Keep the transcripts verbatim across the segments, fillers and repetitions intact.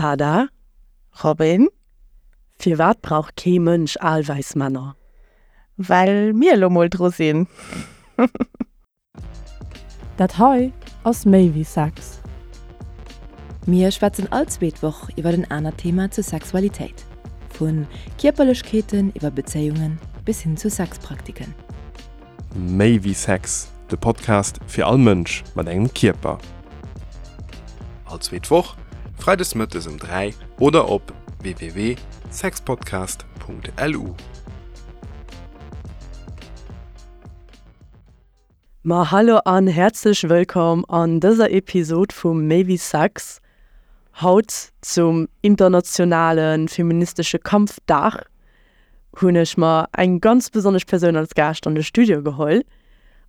Ada. Robin. Firwat brauch kee Mënsch al wäiss Männer? Well mir elo mol dru sinn. Dat hei ass méi wéi Sex. Mir schwätzen all zweet Woch iwwer en anert Thema zur Sexualitéit. Vu Kierperlechkeeten iwwer Bezéiungen bis hin zu Sexpraktiken. Méi wéi Sex, de Podcast fir all Mënsch mat engem Kierper. All zweet Woch, freides mëttes um dräi oder op www.sexpodcast.lu. Ma hallo an häerzlech wëllkomm an dëser Episod vu Méi wéi Sex. Haut zum internationale feministesche Kampfdag hunn ech mer eng ganz besonnesch Persoun als Gaascht an de Studio geholl.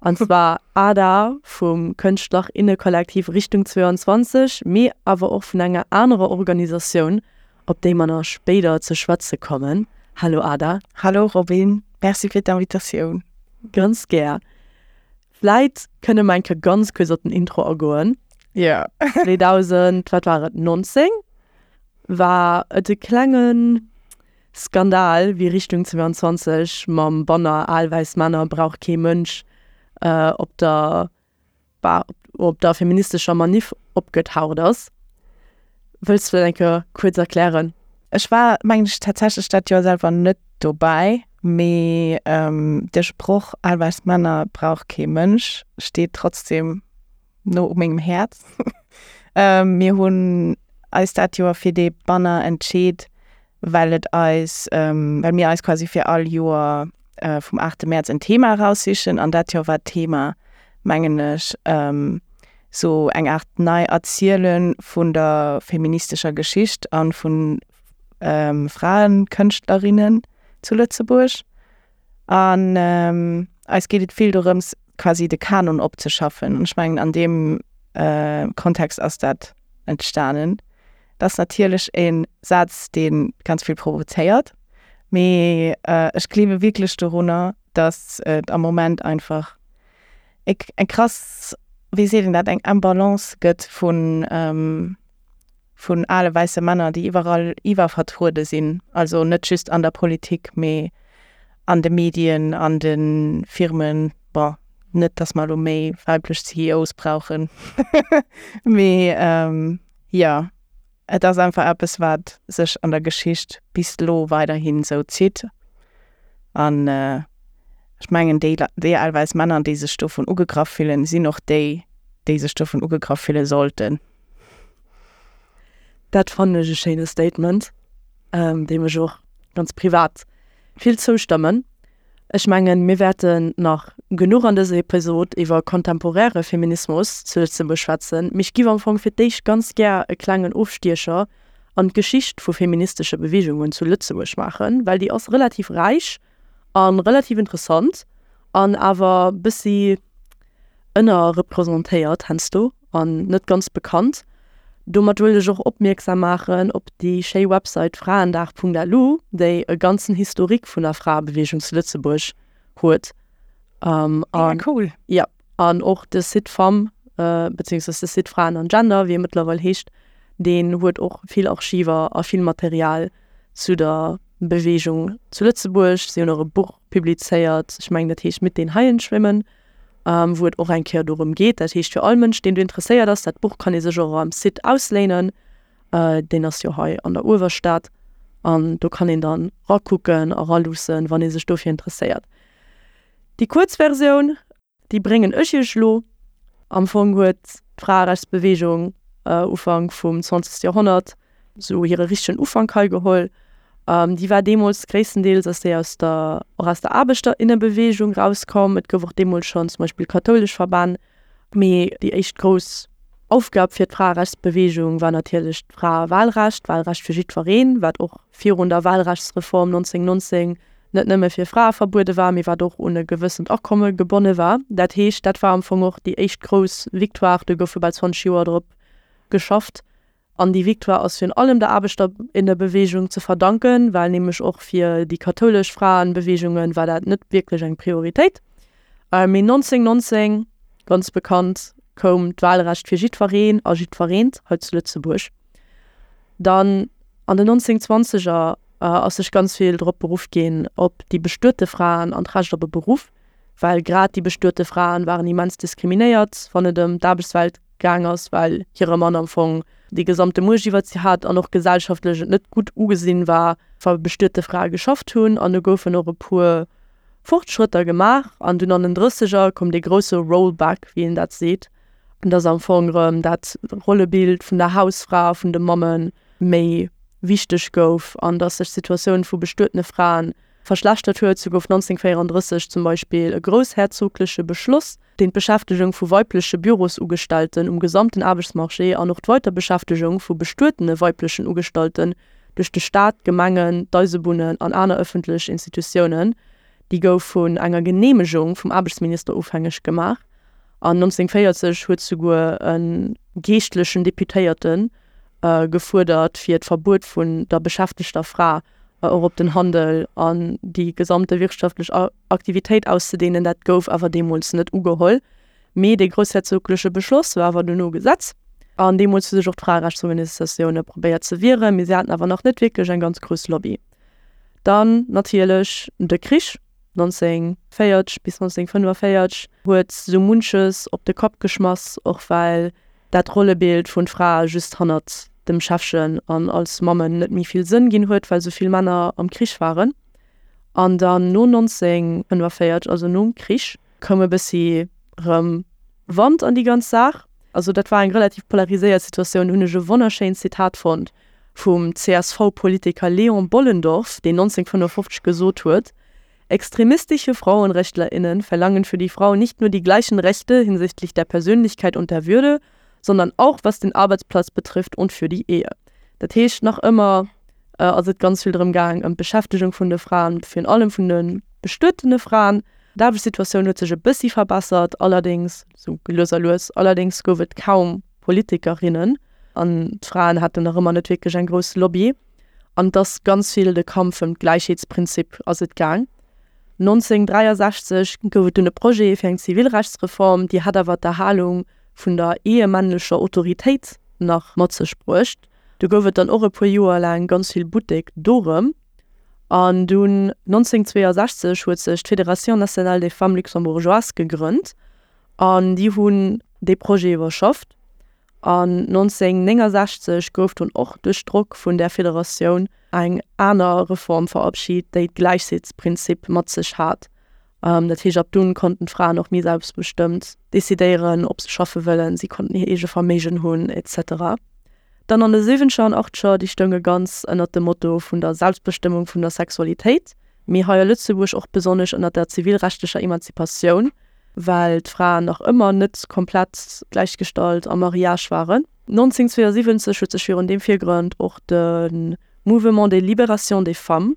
An zwar Ada vum Kënschtler-inne-Kollektiv Richtung zwouanzwanzeg, mee awer och vun enger anerer Organisatioun, op déi mer nach spéider ze schwätze kommen. Hallo Ada. Hallo Robin, Merci fir d'Invitatioun. Ganz gär. Vläit kënne mer eng Kéier ganz kuerz op den Intro agoen. Jo. zweedausend, wat war et, nonzéng war et e klenge Skandal, wéi Richtung zwouanzwanzeg mam Banner Al wäiss Männer brauch kee Mënsch op der op der feministescher Maniff opgetaucht ass. Wëlls du dat eng Kéier kuerz erklären? Ech war, mengen ech, tatsächlech dat Joer selwer net dobäi, mee de Sproch Al wäiss Männer brauch kee Mënsch steet trotzdem no u mengem Häerz. Mir hunn eis dat Joer fir dee Banner entscheet, well et eis, well mir eis quasi fir all Joer vum aachte Mäerz en Thema eraussichen an dat Joer war d'Thema, mengen ech, sou eng Aart nei Erziele vun der feministescher Geschicht a vu Fraekënschtlerinnen zu Lëtzebuerg. An eis geet et vill dorëms, quasi de Kanon opzeschaffen. An ech mengen, an deem Kontext ass dat entstanen. Dat ass natierlech e Saz, dee ganz vill provozéiert, mee ech gleewe wierklech dorunner, datt et am Moment einfach eng krass, wéi seet een dat, eng Imbalance gëtt vun vun ale wäisse Männer, déi iwwerall iwwervertruede sinn, also net just an der Politik, mee an de Medien, an de Firmen. Bon, net datt mer elo méi weiblech C E Os brauchen, mee jo, et ass einfach eppes, wat sech an der Geschicht bis elo weiderhin esou zitt. An ech mengen, déi déi al wäiss Männer, déi sech dovun ugegraff fillen, sinn och déi, déi sech dovun ugegraff fille sollten. Dat fannen ech e schéine Statement, deem ech och ganz privat vill zoustëmmen. Ech mengen, mir wäerten nach genuch an dëser Episod iwwer kontemporäre Feminismus zu Lëtzebuerg schwätzen, mee ech giff am Fong fir d'éischt ganz gär e klengen Ofstiecher an d'Geschicht vu feministesche Beweegungen zu Lëtzebuerg maachen, well déi ass relativ räich a relativ interessant an awer bëssi ënnerrepresentéiert heiansdo an net ganz bekannt. Domat wëllt ech och opmierksam maachen op déi schéi Website fraendag Punkt lu, déi e ganzen Historique vun der Fraebeweegung zu Lëtzebuerg huet. Mega An cool. Ja, an och de Site Femme, beziehungsweise de Site Fraen an Gender, wéi e mëttlerweil heescht, deen huet och vill Archiver a vill Material zu der Beweegung zu Lëtzebuerg. Si hunn och e Buch publizéiert, ech mengen dat heescht Mit den Haien schwimmen, wou et och eng Kéier dorëm geet. Dat heescht fir all Mënsch, deen do interesséiert ass, dat Buch kann ee sech och am Site ausléinen, deen ass jo hei an der Uewerstad an do kann een dann rakucken a raluussen, wann ee sech dofir interesséiert. Déi kuerz Versioun, déi bréngen ech iech elo. Am Fong huet d'Fraerechtsbeweegung Ufank vum zwanzegste Joerhonnert sou hire richtegen Ufank hei geholl. Déi war deemools gréisstendeels ass déi aus der och aus der Aarbechterinnenbeweegung rauskomm. Et gouf och deemools schonn zum Beispill kathoulesch Verbänn. Mee déi éischt grouss Aufgab fir d'Fraerechtsbeweegung war natierlech d'Fraewahlrecht, d'Wahlrecht fir jiddwereen, wat och virun der Wahlrechtsreform nonzénhunnertnonzéng net nëmme fir Frae verbuede war, mee wat och un e gewëssent Akomme gebonne war. Dat heescht, dat war am Fong och déi éischt grouss Victoire, do goufe bal zwanzeg Joer drop geschafft. An déi Victoire ass virun allem der Aarbechterinnenbeweegung ze verdanken, well nämlech och fir déi kathoulesch Fraenbeweegungen war dat net wierklech eng Prioritéit. Mee nonzénhunnertnonzéng, ganz bekannt, koum d'Wahlrecht fir jiddwereen a jiddwereent hei zu Lëtzebuerg. Dann an den nonzénhunnertzwanzeger ass sech ganz vill drop beruff ginn op déi bestuete Fraen an d'Recht op e Beruff, well grad déi bestuete Fraen waren immens diskriminéiert, wann et ëm d'Aarbechtswelt gaang ass, well hire Mann am Fong déi gesamte Muecht iwwert si hat an och gesellschaftlech et net gutt ugesinn war, wa bestuete Frae geschafft hunn. An do goufen och e puer Fortschrëtter gemaach. An dunn an den Drësseger koum dee grousse Rollback, wéi een dat seet, dass am Fong erëm dat Rollebild vun der Hausfra a vun de Mamme méi wichteg gouf an dass sech d'Situatioun vu bestuetene Frae verschlechtert huet. Sou gouf nonzénhunnertvéierandrësseg zum Beispill e groussherzogleche Beschloss, deen d'Beschäftegung vu weibleche Bürosugestellten um gesamten Aarbechtsmarché an och d'Weiterbeschäftegung vu bestuetene weiblechen Ugestallten duerch de Staat, d'Gemengen, d'Eisebunnen an aner ëffentlech Institutiounen, déi gouf vun enger Geneemegung vum Aarbechtsminister ofhängeg gemaach. An nonzénhunnertvéierzeg huet souguer e geeschtlechen Deputéierte gefuerdert, fir d'Verbuet vun der beschäftegter Fra och op den Handel an déi gesamte wirtschaftlech Aktivitéit auszedehnen. Dat gouf awer deemools net ugeholl. Mee dee groussherzogleche Beschloss war awer duerno Gesetz. An deemools hu sech och d'Fraerechtsorganisatioune probéiert ze wieren, mee si haten awer nach net wierklech eng ganz grouss Lobby. Dann natierlech de Krich, nonzénhunnertvéierzeg bis nonzénhunnertfënnefenvéierzeg huet sou munches op de Kapp geschmass, och well dat Rollebild vun Frae just hannert dem Schäffchen an als Mammen net méi vill Sënn ginn huet, well sou vill Männer am Krich waren. An dann no nonzénhunnertfënnefenvéierzeg, also nom Krich, koum e bëssi rëm Wand an déi ganz Saach. Also dat war eng relativ polariséiert Situatioun. Do hunn ech e wonnerschéint Zitat fonnt vum C S V-Politiker Léon Bollendorf, deen nonzénhunnertfënnefofzeg gesot huet: Extremistische FrauenrechtlerInnen verlangen für die Frau nicht nur die gleichen Rechte hinsichtlich der Persönlichkeit und der Würde, sondern auch was den Arbeitsplatz betrifft und für die Ehe. Dat heescht, nach ëmmer ass et ganz vill drëm gaang ëm d'Beschäftegung vun de Fraen, virun allem vun de bestuetene Fraen. D'Aarbechtssituatioun huet sech e bëssi verbessert, allerdéngs sou lues a lues, allerdéngs gouf et kaum Politikerinnen an d'Fraen haten nach ëmmer net wierklech eng grouss Lobby. An et ass ganz vill de Kampf ëm d'Gläichheetsprinzip ass et gaang. nonzénhunnertdräiasechzeg gouf et dunn e Projet fir eng Zivilrechtsreform, déi hat awer d'Erhalung vun der ehemännlecher Autoritéit nach mat sech bruecht. Do gouf et dann och e puer Joer laang ganz vill Buttek dorëm. An dunn nonzénhunnertzweeasechzeg huet sech d'Fédération nationale des femmes luxembourgeoises gegrënnt an déi hunn dee Projet iwwerschafft. An nonzénhunnertnéngasechzeg gouf dunn och duerch Drock vun där Federatioun eng aner Reform verabschit, déi d'Gläichheetsprinzip mat sech hat. Dat heescht, ab dunn konnten d'Fraen och méi selbstbestëmmt decidéieren, ob se schaffe wëllen, si konnten hir eege Verméigen hunn, et cetera. Dann an de siwwenzeger an achtzeger, déi stounge ganz ënnert dem Motto vun der Selbstbestëmmung vun der Sexualitéit, mee hei a Lëtzebuerg och besonnesch ënnert der zivilrechtlecher Emanzipatioun, well d'Fraen nach ëmmer net komplett gläichgestallt am Mariage waren. nonzénhunnertzweeasiwwenzeg huet sech virun deem Virgrond och de Mouvement de libération des femmes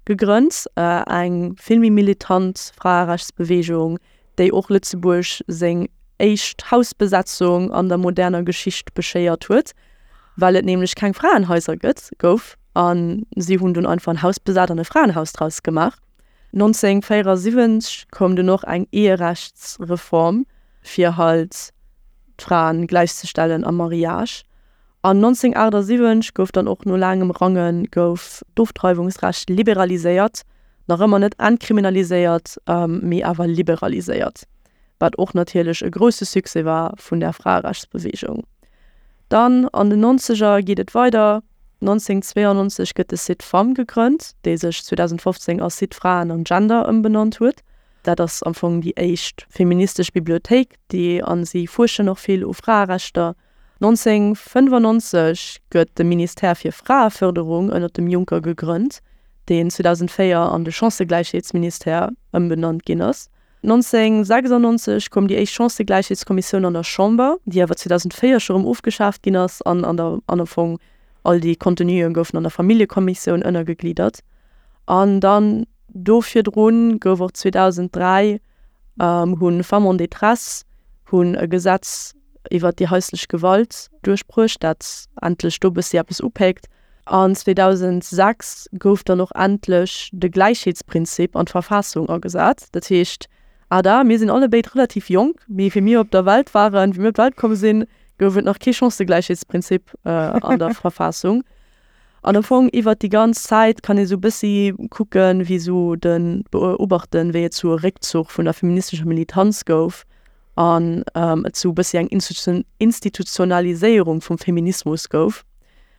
gegrënnt, eng vill méi militant Fraerechtsbeweegung, déi och Lëtzebuerg seng éischt Hausbesetzung an der moderner Geschicht beschéiert huet, well et nämlech keng Fraenhaiser gëtt, gouf a si hunn dunn einfach en Haus besat an e Fraenhaus draus gemaach. nonzénhunnertvéierasiwwenzeg koum dunn och eng Eherechtsreform, fir halt d'Fraen gläichzestellen am Mariage. An nonzénhunnertachtasiwwenzeg gouf dann och no laangem Range gouf d'Ofdreiwungsrecht liberaliséiert, nach ëmmer net entkriminaliséiert, mee awer liberaliséiert, wat och natierlech e grousse Succès war vun der Fraerechtsbeweegung. Dann an den Nonzeger geet et weider, nonzénhunnertzweeannonzeg gëtt de Site Femmes gegrënnt, dee sech zweedausendfofzéng a Site Fraen an Gender ëmbenannt huet. Dat ass am Fong déi éischt feministesch Bibliothéik, déi a si fuerschen och vill u Fraerechter. nonzénhunnertfënnefannonzeg gëtt de Ministère fir Fraefërderung ënnert dem Juncker gegrënnt, deen zweedausendvéier an de Chancëgläichheetsministère ëmbenannt ginn ass. nonzénhunnertsechsannonzeg koum déi éischt Chancëgläichheetskommissioun an der Chamber, déi awer zweedausendvéier scho rëm ofgeschaaft ginn ass an an der an am Fong all déi Contenuen goufen an der Familljekommissioun ënnergegliddert. An dann do virdrun gouf och zweedausendräi hunn Femmes en détresse hunn e Gesetz iwwert déi haislech Gewalt duerchbruecht, dat endlech do bëssi eppes upéckt. An zweedausendsechs gouf dann och endlech de Gläichheetsprinzip an d'Verfassung agesat. Dat heescht, Ada, mir sinn allebéid relativ jonk, mee wéi mir op der Welt waren, wéi mir op d'Welt komm sinn, gouf et nach kee Chancëgläichheetsprinzip an der Verfassung. An am Fong iwwer déi ganz Zäit kann ee sou bëssi kucken, wéi sou de beobachten, wéi et sou e Réckzuch vun der feministescher Militanz gouf an et sou bëssi eng Institutionaliséierung vum Feminismus gouf.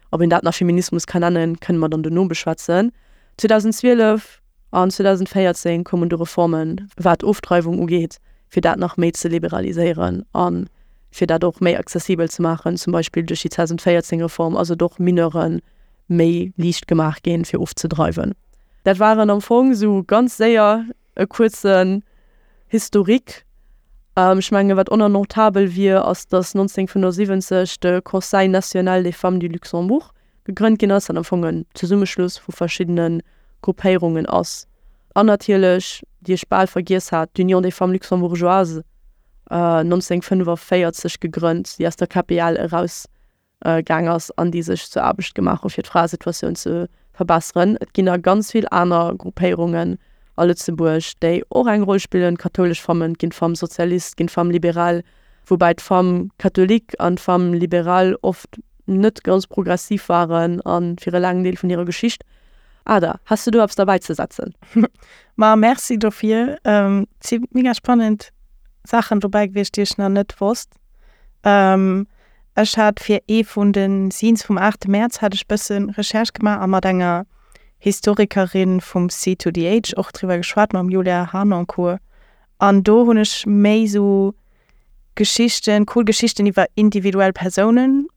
Ob een dat nach Feminismus kann nennen, kënne mer dann dono beschwätzen. zweedausendzwielef an zweedausendvéierzéng koumen du Reformen, wat Ofdreiwung ugeet, fir dat nach méi ze liberaliséieren a fir dat och méi accessibel ze maachen. Zum Beispill duerch déi zweedausendvéierzéng Reform ass et och Mineure méi liicht gemaach ginn, fir ofzedreiwen. Dat waren am Fong sou ganz séier e kuerzen Historique. Ech mengen, wat och nach notabel wier, ass, datt nonzénhunnertfënnefosiwwenzeg de Conseil national des femmes du Luxembourg gegrënnt ginn ass, wat am Fong en Zesummeschluss vu verschiddene Gruppéierungen ass. An natierlech, déi ech bal vergiess hat, d'Union des femmes luxembourgeoises, nonzénhunnertfënnefenvéierzeg gegrënnt, déi aus der K P L eraus gaang ass an déi sech zur Aarbecht gemaach hu fir d'Fraesituatioun ze verbesseren. Et ginn nach ganz vill aner Gruppéierungen a Lëtzebuerg, déi och eng Roll spillen, kathoulesch Femmen, et ginn d'Femmes socialistes, et ginn d'Femmes libérales, woubäi d'Femmes catholiques an d'Femmes libérales oft net ganz progressiv waren a fir e laangen Deel vun hirer Geschicht. Ada, has du do eppes derbäi ze setzen? Ma merci dofir. Et si mega spannend Saachen dobäi gewiescht, déi ech nach net wosst. Ech hat fir ee vun de Zines vum aachte Mäerz hat ech bësse Recherche gemaach a mat enger Historikerin vum C zwei D H och driwwer geschwat, mam Julia Harnoncourt. An do hunn ech méi sou Geschichten, cool Geschichten iwwer individuell Persounen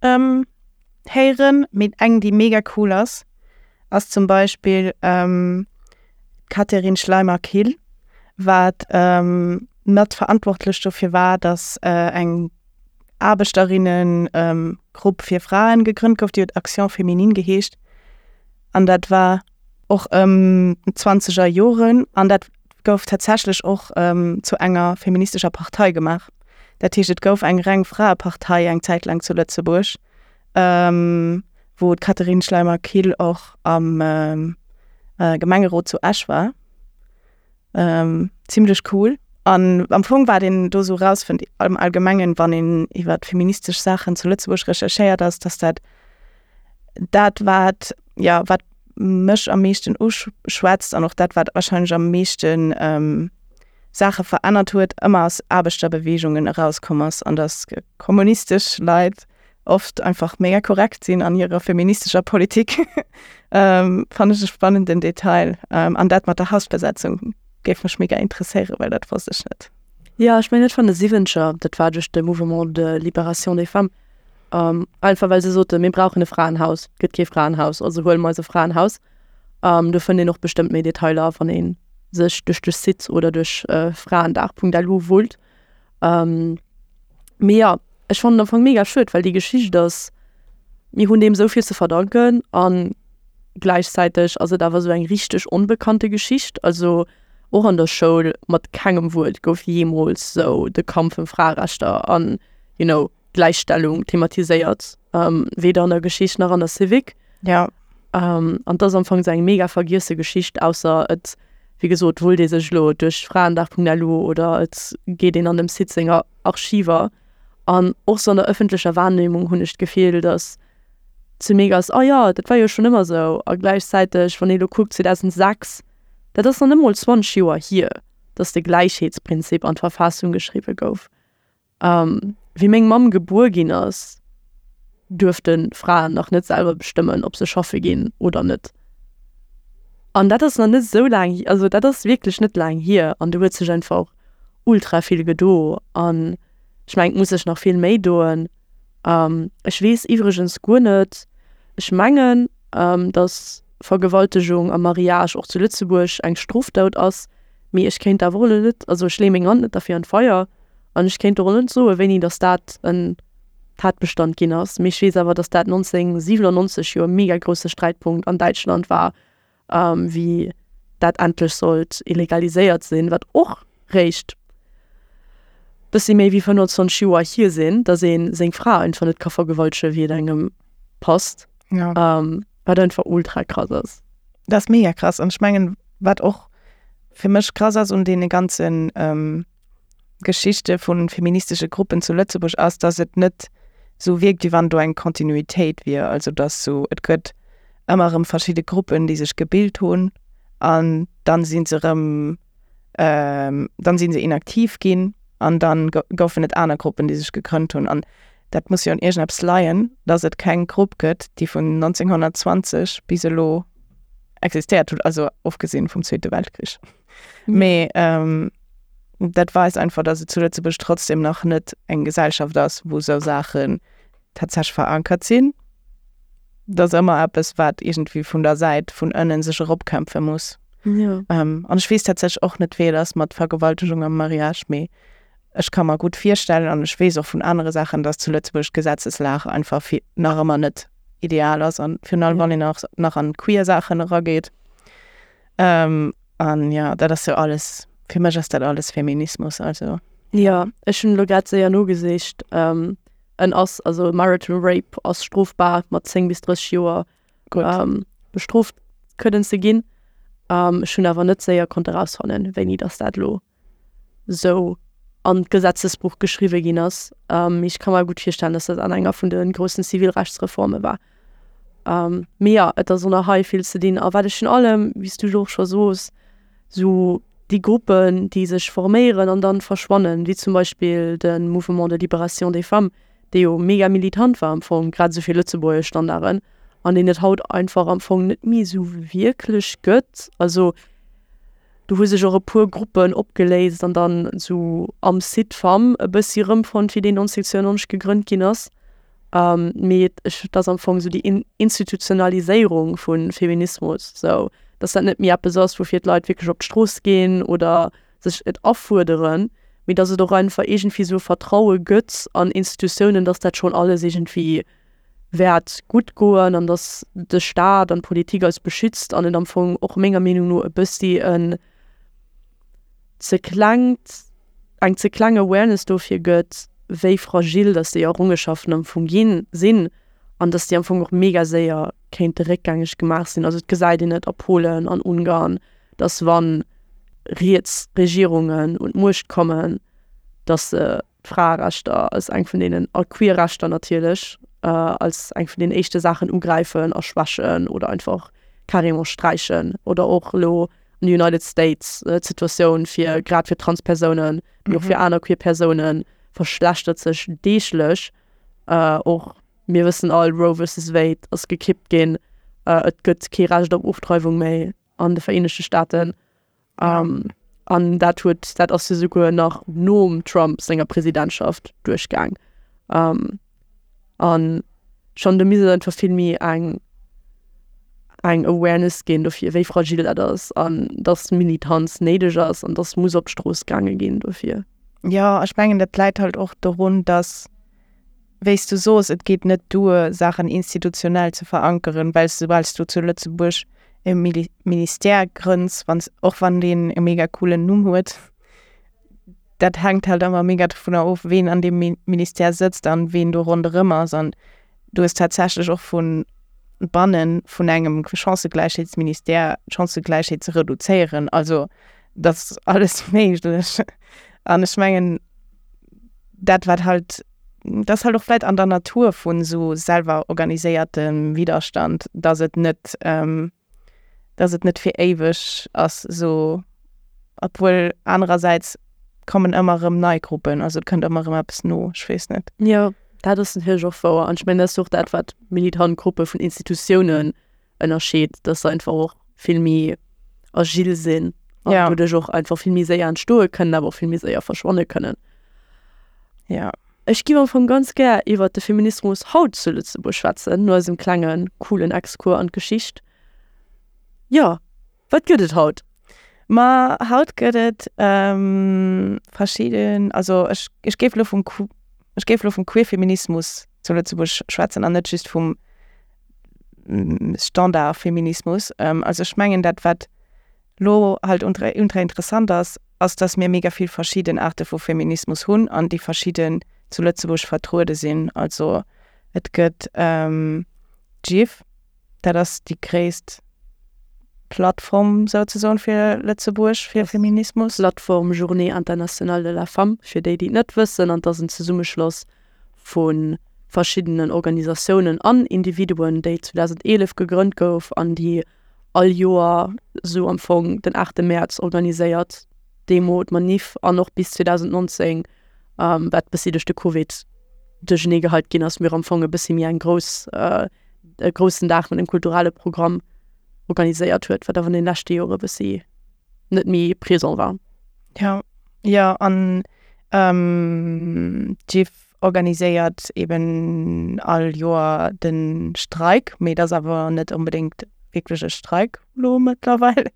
héieren. Mee eng, déi mega cool ass, ass zum Beispill d'Catherine Schleimer-Kill, wat mat verantwortlech dofir war, datt eng Aarbechterinnengrupp fir Fraen gegrënnt gouf, déi huet Action Féminine geheescht. An dat war och ëm d'zwanzeger Joren an dat gouf tatsächlech och zu enger feministescher Partei gemaach. Dat heescht, et gouf eng reng Fraepartei eng Zäit laang zu Lëtzebuerg, wou d'Catherine Schleimer-Kill och am Gemengerot zu Esch war. Zimlech cool. An am Fong wat een do sou rausfënnt am Allgemengen, wann een iwwer feministesch Saachen zu Lëtzebuerg recherchéiert, ass, dass dat dat wat, ja, wat mech am meeschten uschwätzt an och dat wat warscheinlech am meeschten Saache verännert huet, ëmmer aus Aarbechterbeweegungen erauskomm ass an dass kommunistesch Leit oft einfach mega korrekt sinn an hirer feministescher Politik. Fannen ech e spannenden Detail. An dat mat der Hausbesetzung géif mech mega interesséieren, well dat wosst ech net. Jo, ech mengen net vun de Siwwenzeger, dat war duerch de Mouvement de Libération des Femmes. Einfach well se soten, mir brauchen e Fraenhaus, gëtt kee Fraenhaus, also huele mer eis e Fraenhaus. Do fënnt een och bestëmmt méi Detailer, wann ee sech duerch de Site oder duerch fraendag Punkt L U wullt. Mee jo, ech fannen am Fong mega schued, well déi Geschicht ass, mir hunn deem esou vill ze verdanken an gläichzäiteg ass et awer esou eng richteg onbekannte Geschicht. Also och an der Schoul mat kengem Wuert gouf jeemools sou de Kampf ëm Fraerechter an, you know, Gläichstellung thematiséiert, weder an der Geschicht nach an der Civic. Ja. An dat ass am Fong sou eng mega vergiesse Geschicht, ausser et, wéi gesot, wullt ee sech elo duerch fraendag Punkt L U oder et geet een an dem Site senger Archiver. An och sou an der ëffentlecher Wahrnehmung hunn ech d'Gefill, datt ze mega ass, oh jo, dat war jo schonn ëmmer sou. A gläichzäiteg, wann ee elo kuckt zweedausendsechs, dat ass nach net mol zwanzeg Joer hier, datt de Gläichheetsprinzip an d'Verfassung geschriwwe gouf. Wéi meng Mamm gebuer ginn ass, duerfte Fraen nach net selwer bestëmmen, ob se schaffe ginn oder net. An dat ass nach net esou laang, also dat ass wierklech net laang hier an do huet sech einfach ultra vill gedo an ech mengen, et muss sech nach vill méi doen. Ech weess iwwregens guer net, ech mengen, datt Vergewaltegung am Mariage och zu Lëtzebuerg eng Strofdot ass, mee ech kéint awer och elo net, also ech leeë meng Hand net derfir an d'Feier an ech kéint och elo net soen, wéini datt dat en Tatbestand ginn ass. Mee ech weess awer, datt dat nonzénhunnertsiwwenennonzeg jo e mega grousse Sträitpunkt an Däitschland war, wéi dat endlech sollt illegaliséiert sinn, wat och réischt bëssi méi wéi fënnwanzwanzeg Joer hier sinn, datt ee seng Fra einfach net ka vergewaltege wéi et engem passt. Ja. Wat einfach ultra krass ass. Dat ass mega krass an ech mengen, wat och fir mech krass ass un deene ganzen Geschichte vu feministesche Gruppen zu Lëtzebuerg ass, datt et net sou wierkt, wéi wann do eng Kontinuitéit wier. Also datt sou et gëtt ëmmer erëm verschidde Gruppen, déi sech gebilt hunn an dann si se erëm, dann si se inaktiv ginn an dann goufen et aner Gruppen, déi sech gegrënnt hunn. An dat muss jo un iergendeppes leien, dass et keng Grupp gëtt, déi vun nonzénghonnertzwanzeg bis elo existéiert huet, also ofgesinn vum Zweete Weltkrich. Mee dat weist einfach, dass et zu Lëtzebuerg trotzdem nach net eng Gesellschaft ass, wou esou Saachen tatsächlech verankert sinn. Dat ass ëmmer eppes, wat iergendwéi vun der Säit vun ënnen sech eropkämpfe muss. Ja. An ech weess tatsächlech och net, wéi et ass mat Vergewaltegung am Mariage, mee ech ka mer gutt virstellen an ech weess och vun anere Saachen, dass zu Lëtzebuerg d'Gesetzeslag einfach nach ëmmer net ideal ass an virun allem wann een och nach an queer Saachen erageet. An jo, dat ass jo alles, fir mech ass dat alles Feminismus, also. Jo, ech hunn elo grad séier nogesicht, en ass, also marital rape ass strofbar mat zéng bis drësseg Joer bestrooft kënnen ze ginn. Ech hunn awer net séier konnt erausfannen, wéini datt dat elo sou an d'Gesetzesbuch geschriwwe ginn ass. Mee ech ka mer gutt virstellen, datt dat an enger vun de groussen Zivilrechtsreforme war. Mee jo, et ass och nach hei vill ze dinn. A wat ech virun allem, wéi s du elo och scho sos, sou déi Gruppen, déi sech forméieren an dann verschwannen, wéi zum Beispill de Mouvement de libération des femmes, dee jo mega militant war am Fong, grad esou fir lëtzebuergesch Standarden, an deen et haut einfach am Fong net méi esou wierklech gëtt. Also do hu sech och e puer Gruppen opgeléist an dann esou am Cid-Femmes e bëssi erëmfonnt, wéi deen neunzehnhundertzweiundneunzeg gegrënnt ginn ass. Mee ech, et ass am Fong esou déi Institutionaliséierung vu Feminismus, esou datt dat net méi eppes ass, woufir d'Leit wierklech op d'Strooss ginn oder sech et afuerderen, mee datt et och einfach iergendwéi esou e Vertraue gëtt an Institutiounen, datt dat schonn alles iergendwéi wäert gutt goen an datt de Staat an d'Politik eis beschützt an et am Fong och menger Meenung no e bëssi en ze klengt, eng ze kleng Awareness dofir gëtt, wéi fragil datt déi Errungenschaften am Fong ginn, sinn an datt déi am Fong och mega séier kéinte réckgängeg gemaach sinn. Also et gesäit een et a Polen, an Ungarn, datt wa riets Regierungen un d'Muecht kommen, datt se d'Fraerechter als eng vun deenen, a queer Rechter natierlech, als eng vun den éischte Saachen ugräifen a schwächen oder einfach carrément sträichen. Oder och elo an de United States d'Situatioun fir grad fir Transpersounen, mee och fir aner queer Persounen verschlechtert sech deeglech. Och mir wëssen all, Roe versus Wade ass gekippt ginn, et gëtt kee Recht op Ofdreiwung méi an de Vereenegte Staaten. An dat huet, dat ass jo souguer nach nom Trump senger Presidentschaft duerchgaang. An schonn do misst et einfach vill méi eng eng Awareness ginn dofir, wéi fragil dat ass an dass Militanz néideg ass an dass muss op d'Strooss gaange ginn dofir. Jo, ech mengen dat läit halt och dorun, dass, wéi s du sos, et geet net duer Saachen institutionell ze verankeren, well soubal s du zu Lëtzebuerg e Ministère grënns, wann s, och wann deen e mega coolen Numm huet, dat hänkt halt ëmmer mega dovunner of, ween an deem Ministère sëtzt an ween do ronderëm ass. An du hues tatsächlech och vu banne vun engem Chancëgläichheetsministère d'Chancëgläichheet ze reduzéieren. Also dat ass alles méiglech. An ech mengen, dat wat halt, dat ass halt och vläicht an der Natur vun esou selwer organiséiertem Widderstand, datt et net, dass et net fir éiweg ass esou, obwuel anerersäits kommen ëmmer erëm nei Gruppen, also et kënnt ëmmer erëm eppes no, ech weess net. Jo, dat ass natierlech och wouer an ech mengen, dat ass och dat, wat militant Gruppe vun Institutiounen ënnerscheet, dass se einfach och vill méi agil sinn an Ja. doduerch och einfach vill méi séier entstoe kënnen, awer och vill méi séier verschwanne kënnen. Ja. Ech giff am Fong ganz gär iwwert de Feminismus haut zu Lëtzebuerg schwätzen, no eisem klengen coolen Exkurs an d'Geschicht. Jo, wat gëtt et haut? Ma haut gëtt et verschidden, also ech ech géif elo vum ech géif elo vum Queerfeminismus zu Lëtzebuerg schwätzen an net just vum Standardfeminismus. Also ech mengen dat wat lo halt ultra ultra interessant ass, ass dass mir mega vill verschidden Aarte vu Feminismus hunn an déi verschidden zu Lëtzebuerg vertruede sinn. Also et gëtt d'JIF, dat ass déi gréisst Plattform souzesoen fir Lëtzebuerg fir Feminismus. Plattform Journée internationale de la femme, fir déi, déi et net wëssen, an et ass en Zesummeschloss vu verschiddenen Organisatiounen an Individuen, déi zweedausendeelef gegrënnt gouf an déi all Joer sou am Fong den aachte Mäerz organiséiert d'Demo, d'Manif an och bis zweedausendnonzéng, wat bëssi duerch de Covid duerchenee geheit ginn ass, mir am Fong e bëssi méi eng grouss, e groussen Dag mat engem kulturelle Programm organiséiert huet, wat awer an den leschte Jore bëssi net méi présent war. Jo, jo, an d'JIF organiséiert eben all Joer de Streik, mee et ass awer net onbedéngt wierklech e Streik elo mëttlerweil.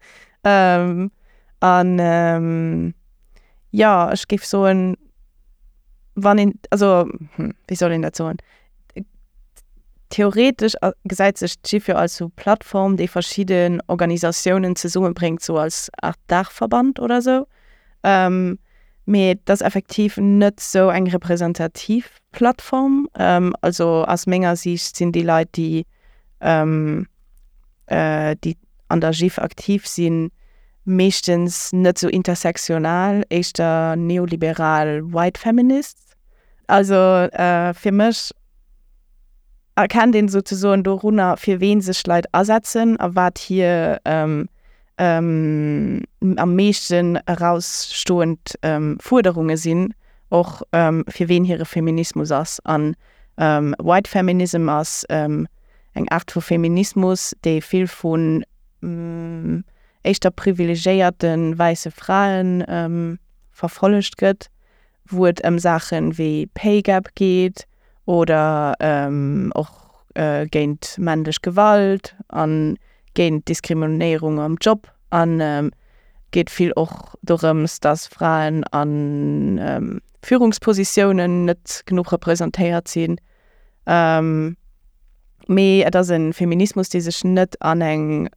An jo, ech géif soen, wann een, also wéi soll een dat soen, theoretesch gesäit sech d'JIF jo als sou Plattform, déi verschidden Organisatiounen zesummebréngt, sou als Art Daachverband oder sou. Mee et ass effektiv net sou eng representativ Plattform. Also aus menger Siicht sinn déi Leit, déi déi an der JIF aktiv sinn, meeschtens net sou intersektional, éischter neoliberal white feminists. Also fir mech erkennt een souzesoen dorunner, fir ween sech Leit asetzen a wat hir am meeschten erausstoend Fuerderunge sinn, och fir ween hire Feminismus ass. An White Feminism ass eng Aart vu Feminismus, déi vill vun éischter privilegéierte wäisse Frae verfollegt gëtt, wou et ëm Saache wéi Pay Gap geet oder och géint männlech Gewalt a géint Diskriminéierung am Job. An geet vill och dorëms, datt Fraen a Führungspositiounen net genuch representéiert sinn. Mee et ass e Feminismus, dee sech net an eng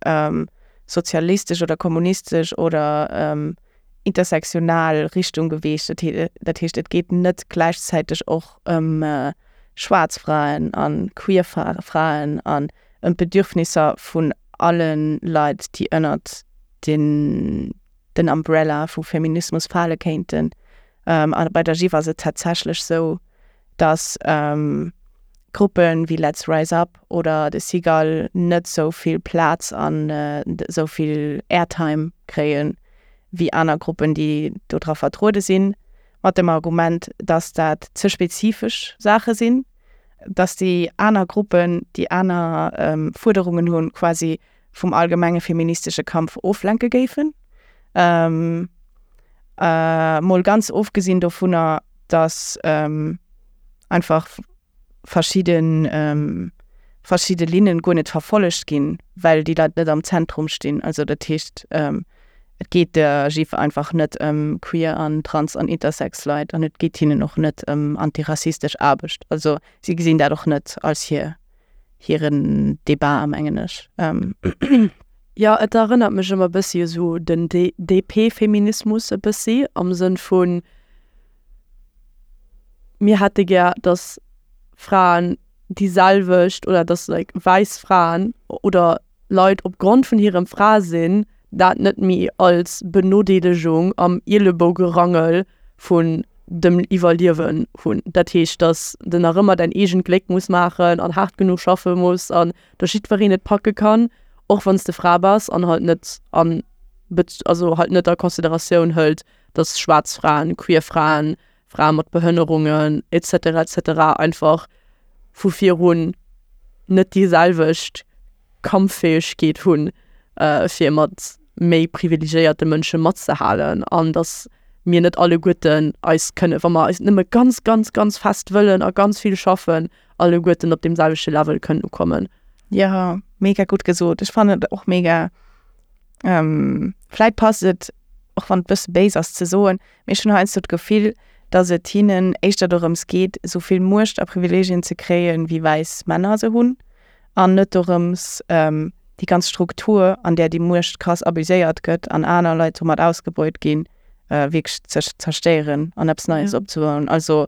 sozialistesch oder kommunistesch oder intersektional Richtung beweegt. Dat heescht, et geet net gläichzäiteg och ëm schwaarz Fraen a queer Fraen an ëm d'Bedürfnisser vun alle Leit, déi ënnert den Umbrella vu Feminismus fale kéinten. A bei der JIF ass et tatsächlech sou, datt Gruppen wéi Let's Rise Up oder de Cigale net sou vill Plaz an sou vill Airtime kréien, wéi aner Gruppen, déi do dra vertruede sinn, mat dem Argument, datt dat ze spezifesch Saache sinn, datt déi aner Gruppen, déi aner Fuerderungen hunn, quasi vum allgemenge feministesche Kampf oflenke géifen. Mol ganz ofgesinn dovunner, datt einfach verschidde verschidde Linnen guer net verfollegt ginn, well déi Leit net am Zentrum stinn. Also dat heescht, et geet der JIF einfach net ëm queer an trans an intersex Leit an et geet hinnen och net ëm antirassistesch Aarbecht. Also si gesinn dat och net als hir hiren Debat, mengen ech. Jo, et erënnert mech ëmmer bëssi u sou den D P-Feminismus e bëssi am Sënn vun mir hätte gär, dass Fraen déi selwecht oder dass like wäiss Fraen oder Leit opgrond vun hirem Frasinn dat net méi als Benodeelegung am Ielebougerangel vun dem Iwwerliewen hunn. Dat heescht, dass de nach ëmmer däin eegent Gléck muss maachen an haart genuch schaffe muss an dass jiddwereen et packe kann, och wann s de Fra bass an halt net an also halt net a Consideratioun hëlt, dass schwaarz Fraen, queer Fraen, Frae mat Behënnerungen et cetera et cetera einfach vu virun net déi selwecht Kampffäegkeet hunn, fir mat méi privilegéierte Mënsche matzehalen an dass mir net alleguerten eis kënne, wa mer eis nëmme ganz, ganz, ganz fest wëllen a ganz vill schaffen, alleguerten op deem selwechte Level kënnen ukommen. Jo, mega gutt gesot. Ech fannen et och mega, vläit passt et, och wann et bësse béis ass ze soen, mee ech hunn heiansdo d'Gefill, dass et hinnen éischter dorëms geet, esou vill Muecht a Privilegien ze kréien, wéi wäiss Männer se hunn, an net dorëms, déi ganz Struktur, an där déi Muecht krass abuséiert gëtt an aner Leit domat ausgebeut ginn, wierklech ze zerstéieren an eppes Neies opzebauen. Also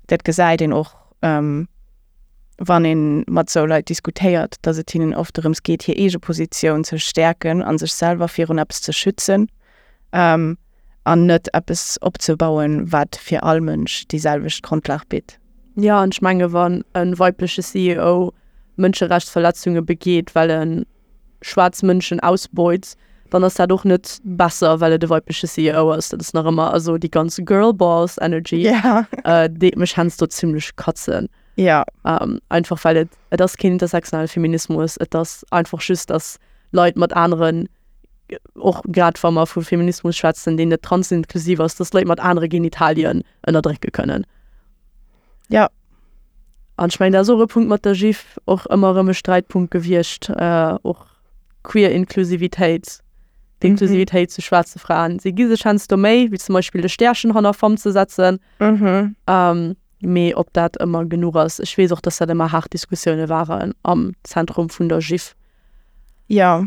dat gesäit een och, wann ee mat esou Leit diskutéiert, dass et hinnen oft dorëms geet, hir eege Positioun ze stäerken a sech selwer virun eppes ze schützen an net eppes opzebauen, wat fir all Mënsch déi selwecht Grondlag bitt. Jo, an ech menge wann e weibleche C E O Mënscherechtsverletzunge begeet, well e schwaarz Mënschen ausbeut, dann ass dat och net besser, well et e weibleche C E O ass. Dat ass nach ëmmer, also déi ganz Girlboss Energy Ja. äh, deet mech heiansdo zimmlech katzen. Ja. Ähm, einfach well et et ass keen intersektionale Feminismus, et ass einfach just, dass Leit mat aneren, och grad wa mer vu Feminismus schwätzen, deen net transinklusiv ass, dass Leit mat anere Genitalien ënnerdrécke kënnen. Ja. An ech mengen, dat ass och e Punkt mat der JIF, och ëmmer erëm e Sträitpunkt gewiescht, äh, och queer Inklusivitéit, d'Inklusivitéit zu schwaarze Fraen. Si gi sech heiansdo Méi, wéi zum Beispill de Stärchen hanner Femme ze setzen, Mhm. ähm, mee ob dat ëmmer genuch ass. Ech weess och, dass dat ëmmer haart Diskussioune waren am Zentrum vun der JIF. Ja.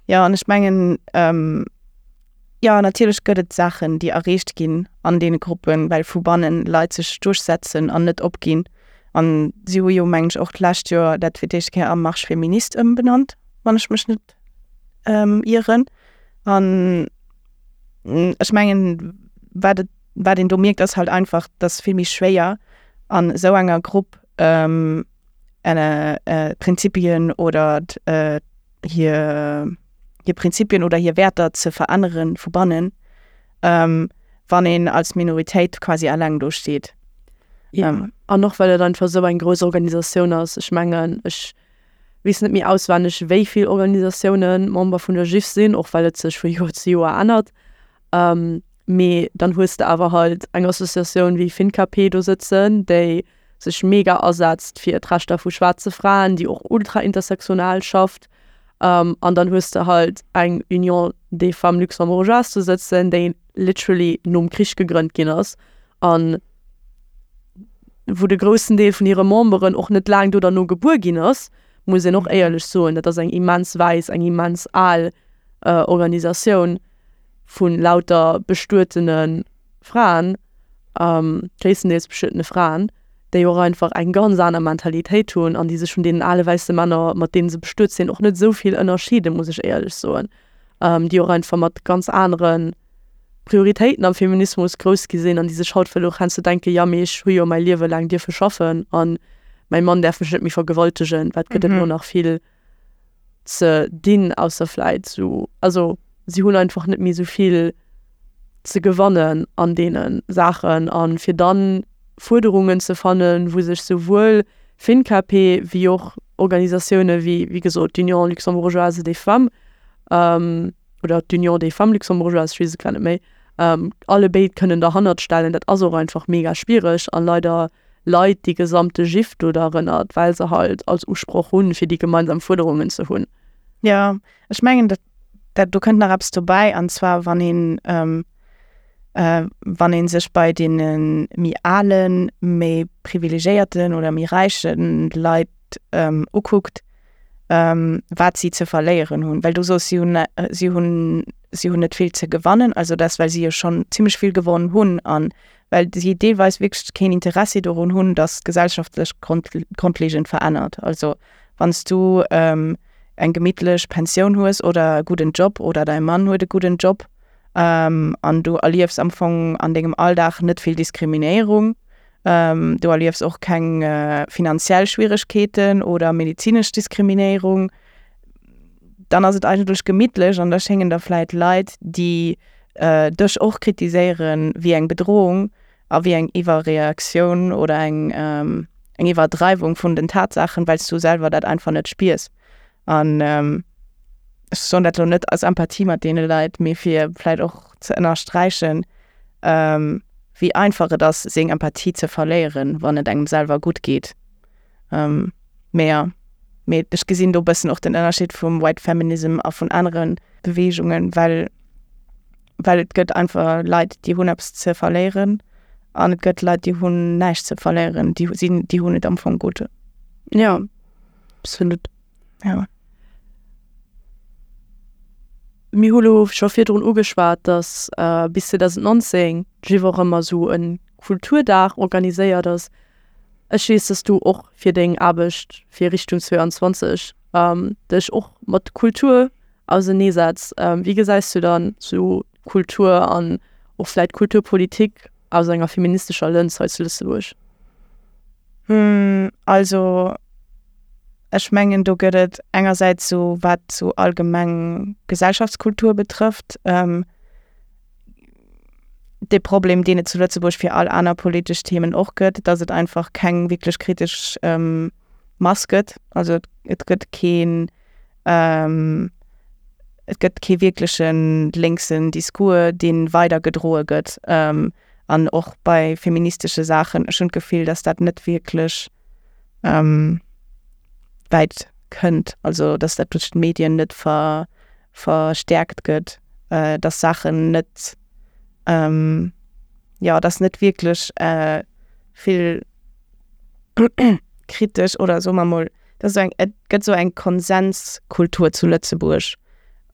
Ja, an ech mengen, ähm, ja, natierlech gëtt et Saachen, déi erreecht ginn an deene Gruppen, well vu bannen Leit sech duerchsetzen an net opginn. An si hu jo, mengen ech, och d'lescht Joer dat fir d'éischt Kéier a Marche Féministe ëmbenannt, wann ech mech net ähm, ieren. An ech mengen, wat et, wat een do mierkt, ass halt einfach, dass vill méi schwéier an esou enger Grupp ähm, eng, äh, Prinzipien oder äh, hir hir Prinzipien oder hir Wäerter ze veränneren vu bannen, ähm, wann een als Minoritéit quasi alleng do steet. Ja. Ähm. An och well et einfach sou eng grouss Organisatioun ass. Ech mengen, ech weess net méi auswenneg, wéi vill Organisatioune Member vun der JIF sinn, och well et sech vu Joer zu Joer ännert. Ähm, mee dann hues de awer halt eng Associatioun wéi FinKP do sëtzen, déi sech mega asetzt fir d'Rechter vu schwaarze Fraen, déi och ultra intersektional schafft. Ähm, an dann hues de halt eng Union des Femmes Luxembourgeoises do sëtzen, déi literally nom Krich gegrënnt ginn ass an wou de groussen Deel vun hire Memberen och net laang do derno gebuer ginn ass, muss een och éierlech soen, dat ass eng immens wäiss, eng immens al äh, Organisatioun vun lauter bestuetene Fraen, ähm, gréisstendeels bestuetene Fraen, déi och einfach eng ganz aner Mentalitéit hunn an déi sech vun deenen ale wäisse Männer, mat deene se bestuet sinn, och net sou vill ënnerscheeden, muss ech éierlech soen. Ähm, déi och einfach mat ganz anere Prioritéiten am Feminismus grouss gi sinn an déi sech haut vläicht och heiansdo denken, ja mee ech hu jo mäi Liewe laang dierfe schaffen an mäi Mann däerf mech net méi vergewaltegen, wat gëtt et Mhm. lo nach vill ze dinn, ausser vläicht sou, also si hunn einfach net méi sou vill ze gewannen an deene Saachen an fir dann Fuerderungen ze fannen, wou sech souwuel FinKP wéi och Organisatioune wéi wéi gesot d'Union luxembourgeoise des Femmes ähm, oder d'Union des Femmes luxembourgeoises, ech weess et grad net méi, ähm, allebéid kënnen derhannert stellen, dat ass och einfach mega schwiereg an leider leit déi gesamte JIF do derënner, well se halt als Usproch hunn, fir déi gemeinsam Fuerderungen ze hunn. Ja, ech mengen, dat, dat, do kënnt nach eppes dobäi, an zwar wann een, ähm, äh, wann een sech bei deene méi alen, méi privilegéierten oder méi räiche Leit ähm, ukuckt, ähm, wat si ze verléieren hunn. Well du soos, si hunn, äh, si hunn, si hunn net vill ze gewannen, also dat well si jo schonn zimmlech vill gewonnen hunn an well si deelweis wierklech keen Interessi dorun hunn, dass d'Gesellschaft sech grond, grondleeënd verännert. Also wann s du ähm, eng gemittlech Pensioun hues oder e gudden Job oder däi Mann huet e gudden Job ähm, an du erliefs am Fong an dengem Alldag net vill Diskriminéierung, ähm, du erliefs och keng äh, finanziell Schwieregkeeten oder medezinesch Diskriminéierung, dann ass et eigentlech gemittlech an da schéngen der vläicht Leit, déi äh, dech och kritiséieren wéi eng Bedrohung a wéi eng Iwwerreaktioun oder eng, ähm, eng Iwwerdreiwung vun den Tatsaachen, well s du selwer dat einfach net spiers. An ähm, ech soen dat lo net als Empathie mat deene Leit, mee fir vläicht och ze ënnersträichen, ähm, wéi einfach et ass, seng Empathie ze verléieren, wann et engem selwer gutt geet. Ähm, mee ja, mee ech gesinn do bëssen och den Ënnerscheed vum White Feminism a vun anere Beweegungen, well well et gëtt einfach Leit, déi hunn eppes ze verléieren an et gëtt Leit, déi hunn näischt ze verléieren, déi sinn, déi hunn et am Fong gutt. Ja, absolut. Ja. Mir hu lo scho virdrun ugeschwat, dass äh, bis zweedausendnonzéng d'JIF och ëmmer sou e Kulturdag organiséiert ass. Ech weess, dass du och fir deng Aarbecht fir Richtung zwouanzwanzeg ähm, dech och mat Kultur auserneesetz. Ähm, wéi gesäis du dann sou Kultur an och vläicht Kulturpolitik aus enger feministescher Lëns hei zu Lëtzebuerg? Hm, also ech mengen do gëtt et engersäits sou wat sou allgemeng Gesellschaftskultur betrëfft, ähm, de Problem deen et zu Lëtzebuerg fir all aner politesch Themen och gëtt, dass et einfach keng wierklech kritesch ähm, Mass gëtt. Also et gëtt keen ähm, et gëtt kee wierklechen lénksen Discours, dee weidergedroe gëtt. Ähm, an och bei feministesche Saachen, ech hunn d'Gefill, dass dat net wierklech ähm, wäit kënnt, also dass dat duerch d'Medien net ver, verstäerkt gëtt, äh, dass Saachen net ähm, jo, dass net wierklech äh, vill kritesch oder soe mer mol, dass esou eng, et gëtt esou eng Konsenskultur zu Lëtzebuerg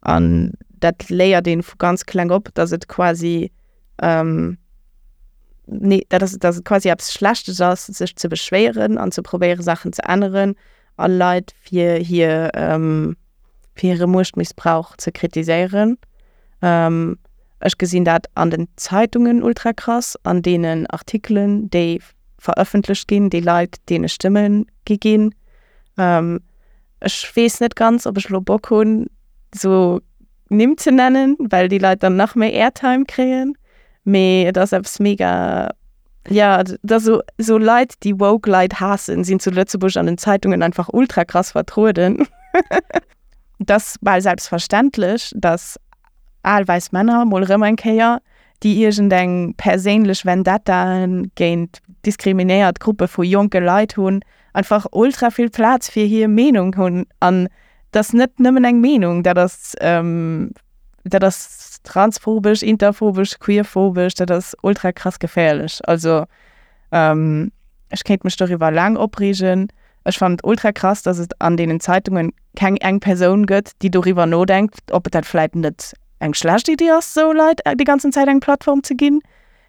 an dat léiert een vu ganz kleng op, dass et quasi ähm, nee, dat ass, dass et quasi eppes Schlechtes ass, sech ze beschwéieren an ze probéiere Saachen ze änneren a Leit fir hir ähm, fir hire Muechtmissbrauch ze kritiséieren. Ähm, ech gesinn dat an den Zeitungen ultra krass, an deenen Artikelen, déi verëffentlecht ginn, déi Leit, deene Stëmme gi ginn. Ähm, ech weess net ganz, ob ech elo Bock hunn, sou Nimm ze nennen, well déi Leit dann nach méi Airtime kréien. Mee et ass eppes mega, jo, et ass sou, sou Leit, déi woke Leit haassen, sinn zu Lëtzebuerg an den Zeitungen einfach ultra krass vertrueden. Et ass bal selbstverständlech, dass al wäiss Männer mol erëm eng Kéier, déi iergendeng perséinlech Vendetta géint diskriminéiert Gruppe vu jonke Leit hunn, einfach ultra vill Plaz fir hir Meenung hunn. An dat ass net nëmmen eng Meenung, dat ass, dat ass transphobesch, interphobesch, queerphobesch, dat ass ultra krass geféierlech. Also ech kéint mech doriwwer laang opreegen. Ech fannen et ultra krass, dass et an deenen Zeitungen keng eng Persoun gëtt, déi doriwwer nodenkt, ob et dat vläit net eng schlecht Iddi ass, sou Leit déi ganzen Zäit eng Plattform ze ginn,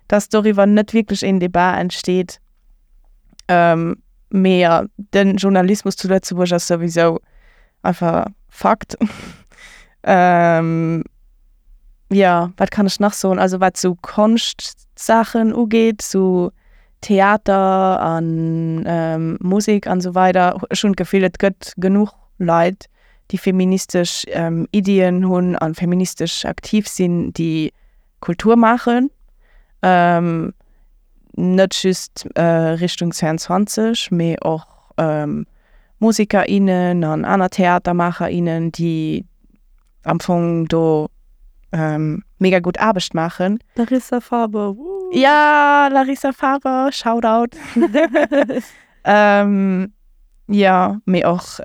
dass doriwwer net wierklech een Debat entsteet. Mee jo, de Journalismus zu Lëtzebuerg ass souwisou einfach fucked. Jo, wat kann ech nach soen? Also wat sou Konschtsaachen ugeet, sou Theater a Musek an esou weider, ech hunn d'Gefill, et gëtt genuch Leit, déi feministesch Iddien hunn a feministesch aktiv sinn, déi Kultur maachen. Net just Richtung zweiundzwanzeg, mee och Museker, innen an aner Theatermaacher, innen, déi am Fong do mega gutt Aarbecht maachen. Larissa Faber, woo! Ja, Larissa Faber, Shoutout! Jo, mee och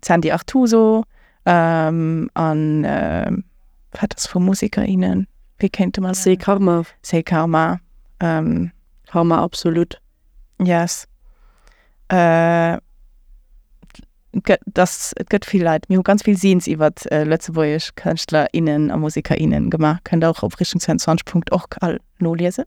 d'Sandy Artuso an wat ass vu Museker, innen, wéi kéinte mer Say Karma. Say Karma. Karma, absolut. Yes. Et gëtt vill Leit, mir hu ganz vill Zines iwwer lëtzebuergesch Kënschtler, innen a Museker, innen gemaach, kënnt der och op richtung zweiundzwanzeg Punkt org all noliesen.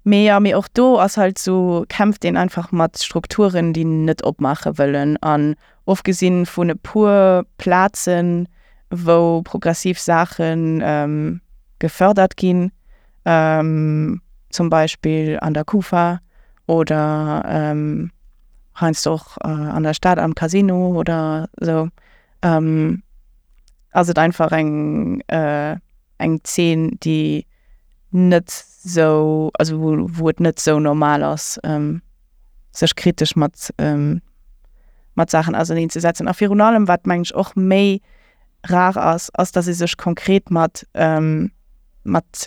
Mee jo, mee och do ass halt sou, kämpft een einfach mat Strukturen, déi net opmaache wëllen. An ofgesinn vun e puer Plazen, wou progressiv Saache gefërdert ginn, zum Beispill an der Kufa oder heiansdo och an der Stad am Casino oder sou, ass et einfach eng eng Zeen, déi net sou, also wou et net sou normal ass, sech kritesch mat mat Saachen auserneen ze setzen. A virun allem, wat mengen ech och méi rar ass, ass datt ee sech konkret mat mat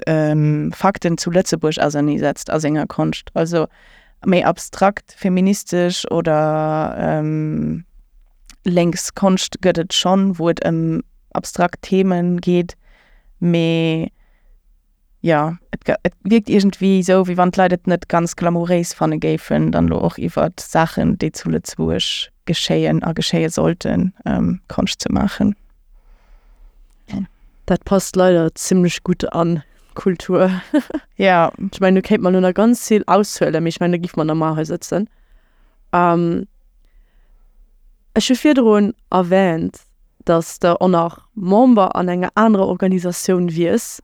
Fakten zu Lëtzebuerg auserneesetzt a senger Konscht. Also méi abstrakt feministesch oder lénks Konscht gëtt et schonn, wou et ëm abstrakt Themen geet, mee jo, et et wierkt iergendwéi esou, wéi wann d'Leit et net ganz glamouréis fanne géifen, dann elo och iwwert Saachen, déi zu Lëtzebuerg geschéien a geschéie sollten, Konscht ze maachen. Dat passt leider zimmlech gutt an d'Kultur. Ja. Ech mengen, do kéint mer elo nach ganz vill aushuelen, mee ech mengen, da géife mer nach mar hei sëtzen. Ech hu virdrun erwähnt, dass de och nach Member an enger anerer Organisatioun wiers.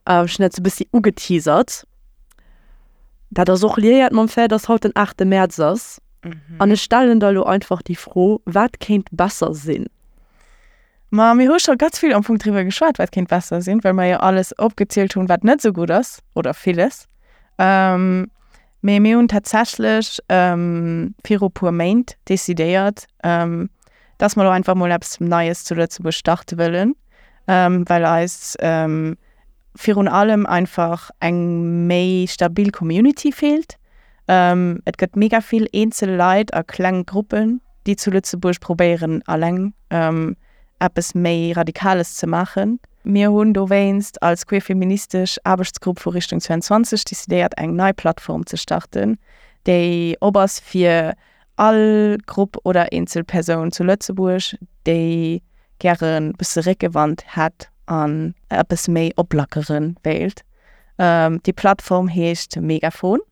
Ech hunn dat sou e bëssi ugeteasert. Dat ass och liéiert mam Fait, dass haut den aachte Mäerz ass. An ech stellen der elo einfach déi Fro, Wat kéint besser sinn? Ma mir hu scho ganz vill am Fong driwwer geschwat, wat kéint besser sinn, well mer jo alles opgezielt hunn, wat net esou gutt ass, oder villes. Mee mir hunn tatsächlech viru puer Méint decidéiert, dass mer elo einfach mol eppes Neies zu Lëtzebuerg starte wëllen, well eis virun allem einfach eng méi stabil Community feelt. Et gëtt mega vill eenzel Leit a kleng Gruppen, déi zu Lëtzebuerg probéieren alleng eppes méi Radikales ze maachen. Mir hunn dowéinst als queer-feministesch Aarbechtsgrupp vu Richtung zwouanzwanzeg decidéiert eng nei Plattform ze starten, déi op ass fir all Grupp oder eenzel Persoun zu Lëtzebuerg, déi gäre bësse Réckewand hätt an eppes méi oplackere wéilt. Déi Plattform heescht Megafon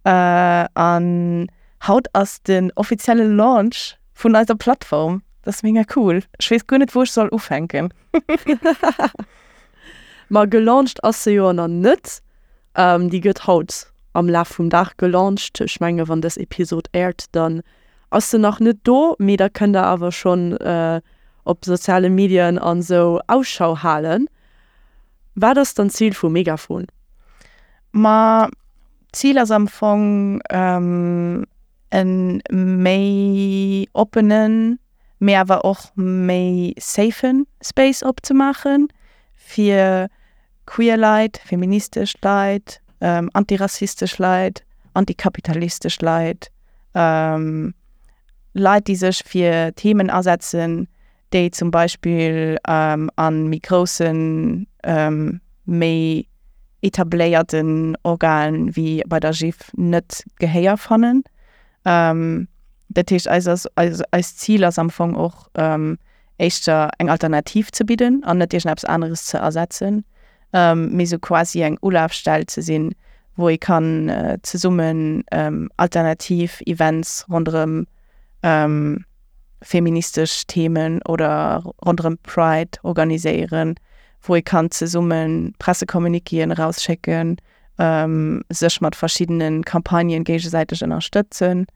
an haut ass den offizielle Launch vun eiser Plattform. Dat ass mega cool. Ech weess guer net wou ech soll ufänken. Ma gelaunched ass se jo nach net. Déi gëtt haut am Laf vum Dag gelaunched. Ech menge wann dës Episod airt, dann ass se nach net do, mee da kënnt der awer schonn op soziale Medien an esou Ausschau halen. Wat ass dann d'Zil vu Megafon? Ma d'Zil ass am Fong e méi oppenen, mee awer och méi safen Space opzemaachen fir queer Leit, feministesch Leit, antirassistesch Leit, antikapitalistesch Leit, Leit déi sech fir Themen asetzen, déi zum Beispill a méi groussen, méi etabléierten Organen wéi bei der GIF net Gehéier fannen. Dat heescht eis ass eist Zil ass am Fong och éischter eng Alternativ ze bidden an net iergendeppes aneres ze ersetzen, mee sou quasi eng Ulafstell ze sinn, wou ee kann zesummen alternativ Events ronderëm feministesch Themen oder ronderëm Pride organiséieren, wou ee kann zesumme Pressecommuniquéen erausschécken, sech mat verschiddene Campagnen géigesäiteg ënnerstëtzen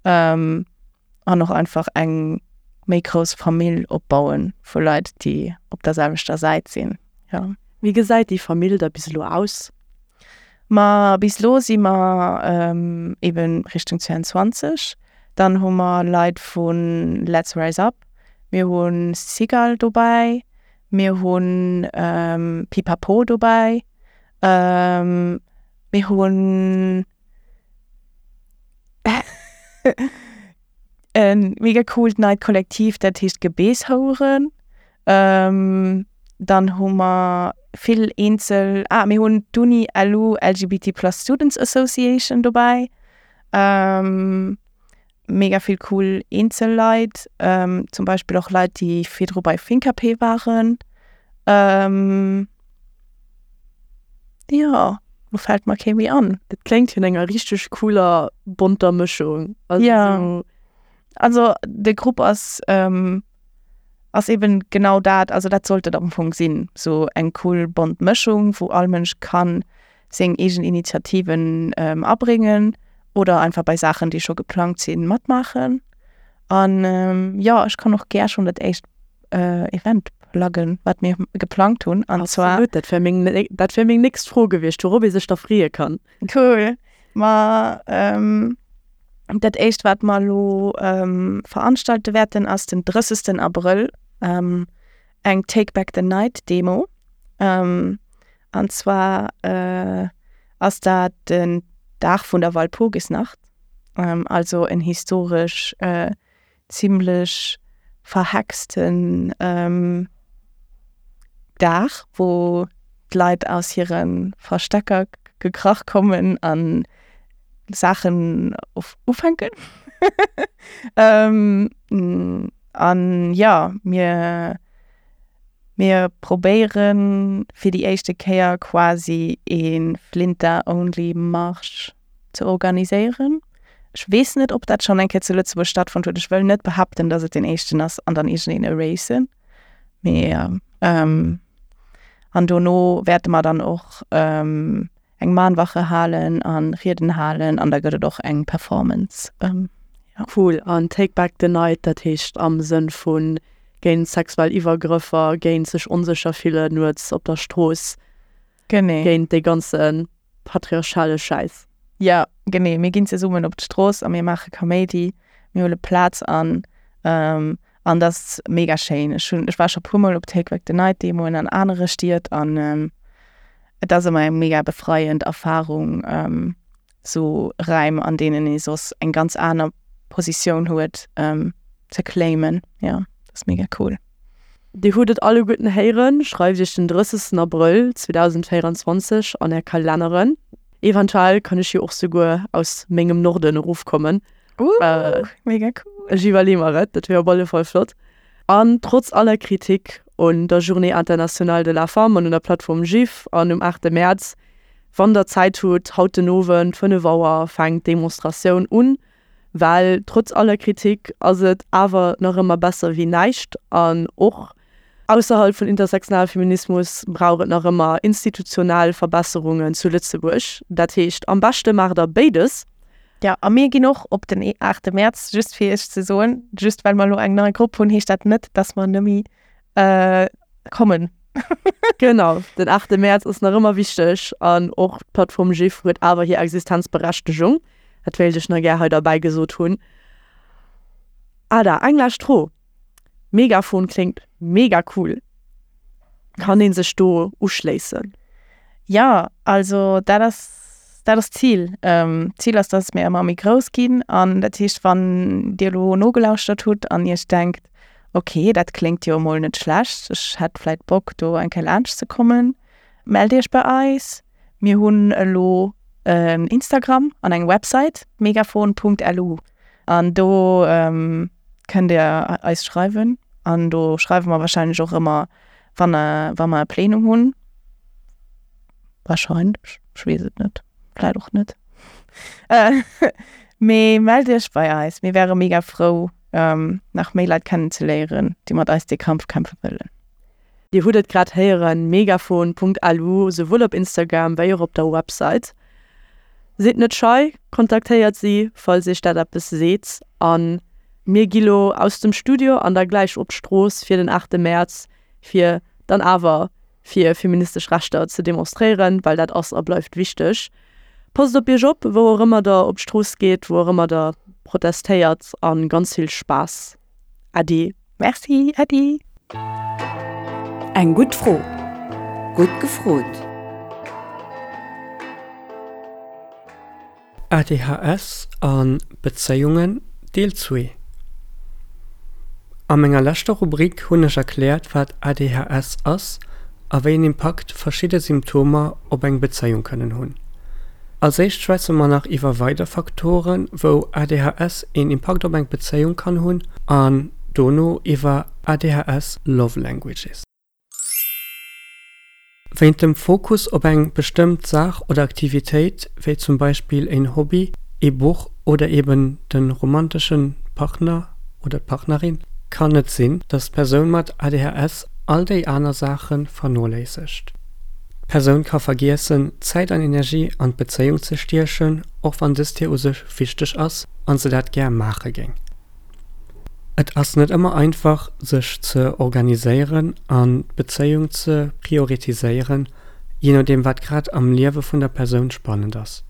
an och einfach eng méi grouss Famill opbaue vu Leit, déi op der selwechter Säit sinn. Jo. Wéi gesäit déi Famill da bis elo aus? Ma bis elo si mer eben Richtung zwouanzwanzeg. Dann hu mer Leit vu Let's Rise Up, mir hu Cigale dobäi, mir hu Pipapo dobäi, mir hunn e mega coolt neit Kollektiv, dat heescht Gebeesshoueren. Dann hu mer vill eenzel, ah mir hunn d'Uni LU LGBT plus Students Association dobäi. Mega vill cool eenzel Leit, zum Beispill och Leit, déi virdru bei Finkapé waren. Jo, lo fält mer kee méi an. Dat kléngt no enger richteg cooler bonter Mëschung. Also ja. Also de Grupp ass ähm, ass eben genau dat, also dat sollt et am Fong sinn, sou eng cool bont Mëschung, wou all Mënsch kann seng eegen Initiativen ähm, abréngen oder einfach bei Saachen, déi scho geplangt sinn, matmaachen. An ähm, jo, ech kann och gär schonn dat éischt äh, Event pluggen, wat mir geplangt hunn. An zwar Absolut, dat wär meng, dat wär meng nächst Fro gewiescht, wourop ee sech da freeë kann. Cool. Ma ähm, dat éischt, wat mer elo ähm, veranstalte wäerten, ass den drëssegsten Abrëll ähm, eng Take Back the Night Demo. Ähm, an zwar äh, ass dat den Dag vun der Walpurgisnacht, ähm, also en historesch äh, zimmlech verhexten ähm, Dag, wou d'Leit aus hire Verstecker gekrach kommen an Saachen ufänken. ähm, an ja, mir mir probéieren fir déi éischte Kéier quasi e Flinta-Only-Marsch ze organiséieren. Ech weess net, ob dat schonn eng Kéier zu Lëtzebuerg stattfonnt huet. Ech wëll net behaapten, dass et deen éischten ass an dann iergendeen erasen. Mee ähm, an dono wäerte mer dann och ähm, eng Mahnwache halen a Rieden halen an da gëtt et och eng Performance. Jo. Cool. An Take Back the Night, dat heescht am Sënn vu géint sexuell Iwwergrëffer, géint sech onsécher fillen nuets op der Strooss. Genee. Géint dee ganze patriarchale Schäiss. Jo, genee. Mir ginn zesummen op d'Strooss a mir maache Kaméidi, mir huele Plaz an. An dat ass mega schéin. Ech hunn, ech war scho puermol op Take Back the Night Demoen an anere Stied an et ass ëmmer eng mega befreiend Erfarung, sou Räim, an deenen ee soss eng ganz aner Positioun huet, ze claimen. Jo, dat ass mega cool. Dir hutt et alleguerten héieren, schreift iech den drëssegsten Abrëll zweedausendvéieranzwanzeg an är Kalenneren. Eventuell kann ech jo och souguer aus mengem Norden erofkommen. Uh, mega cool. Ech iwwerleeë mer et, dat wier op alle Fall flott. An trotz aller Kritik un der Journée internationale de la femme an un der Plattform GIF an um aachte Mäerz, wann der Zäit hutt, haut den Owend, fënnef Auer, fänkt d'Demonstratioun un. Well trotz aller Kritik ass et awer nach ëmmer besser wéi näischt. An och ausserhalb vun intersektionale Feminismus brauch et nach ëmmer institutionell Verbesserungen zu Lëtzebuerg. Dat heescht, am beschte maacht der béides. Jo, a mir ginn och op den aachte Mäerz, just fir iech ze soen, just well mer elo eng nei Grupp hunn, heescht dat net, dass mer nëmme kommen. Genau, den aachte Mäerz ass nach ëmmer wichteg an och d'Plattform GIF huet awer hir Existenzberechtegung. Dat wéilt ech nach gär hei derbäi gesot hunn. Ada, eng lescht Fro, Megafon kléngt mega cool. Kann ee sech do uschléissen? Jo, also dat ass dat ass d'Zil. D'Zil ass, dass mir ëmmer méi grouss ginn an dat heescht, wann Dir elo nogelauschtert hutt an Iech denkt, ok, dat kléngt jo emol net schlecht, ech hätt vläit Bock do eng Kéier laanscht ze kommen, mellt Iech bei eis. Mir hunn elo en Instagram an eng Website, megafon Punkt lu, an do kënnt Dir eis schreiwen an do schreiwe mer wahrscheinlech och ëmmer, wann wa mer e Plenum hunn. Wahrscheinlech, ech weess et net, vläit och net. Mee mellt Iech bei eis, mir wäre mega frou, nach méi Leit kennenzeléieren, déi mat eis dee Kampf kämpfe wëllen. Dir hutt et grad héieren, megafon Punkt lu, souwuel op Instagram wéi och op der Website. Sidd net schei, kontaktéiert si, falls iech dat eppes seet. A mir gi lo aus dem Studio an da gläich op d'Strooss fir den aachte Mäerz, fir dann awer fir feministesch Rechter ze demonstréieren, well dat ass a bleift wichteg. Passt op iech op, wou och ëmmer der op d'Strooss geet, wou och ëmmer der protestéiert a ganz vill Spaass. Äddi. Merci, Äddi. Eng gutt Fro, gutt gefrot! A D H S a Bezéiungen, Deel zwee. A menger leschter Rubrik hunn ech erkläert, wat A D H S ass a wéi en Impakt verschidde Symptomer op eng Bezéiung kënnen hunn. Als éischt schwätze mer nach iwwer weider Faktoren, wou A D H S een Impakt op eng Bezéiung kann hunn an dono iwwer A D H S Love Languages. Wéint dem Fokus op eng bestëmmt Saach oder Aktivitéit, wéi zum Beispill een Hobby, ee Buch oder eben de romantesche Partner oder d'Partnerin, kann et sinn, dass d'Persoun mat A D H S all déi aner Saache vernoléissegt. D'Persoun ka vergiessen, Zäit an Energie an d'Bezéiung ze stiechen, och wann dëst hir u sech wichteg ass an se dat gär maache géing. Et ass net ëmmer einfach, sech ze organiséieren an d'Bezéiung ze prioritiséieren, jee nodeem wat grad am Liewe vun der Persoun spannend ass.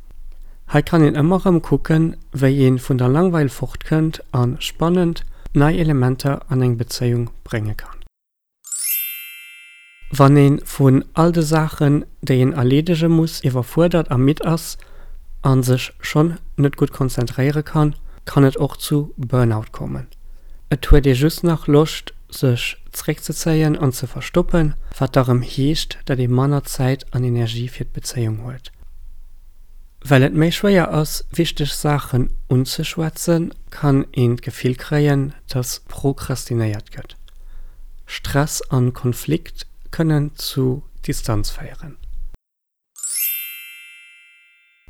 Hei kann een ëmmer erëm kucken, wéi ee vun der Langweil fortkënnt a spannend, nei Elementer an eng Bezéiung brénge kann. Wann ee vun all de Saachen, déi een erleedege muss, iwwerfuerdert a midd ass a sech schonn net gutt konzentréiere kann, kann et och zu Burnout kommen. Et huet ee just nach Loscht, sech zréckzezéien an ze verstoppen, wat da rëm heescht, datt ee manner Zäit an Energie fir d'Bezéiung huet. Well et méi schwéier ass, wichteg Saachen unzeschwätzen, kann een d'Gefill kréien, datt prokrastinéiert gëtt. Stress an Konflikt kënnen zu Distanz féieren.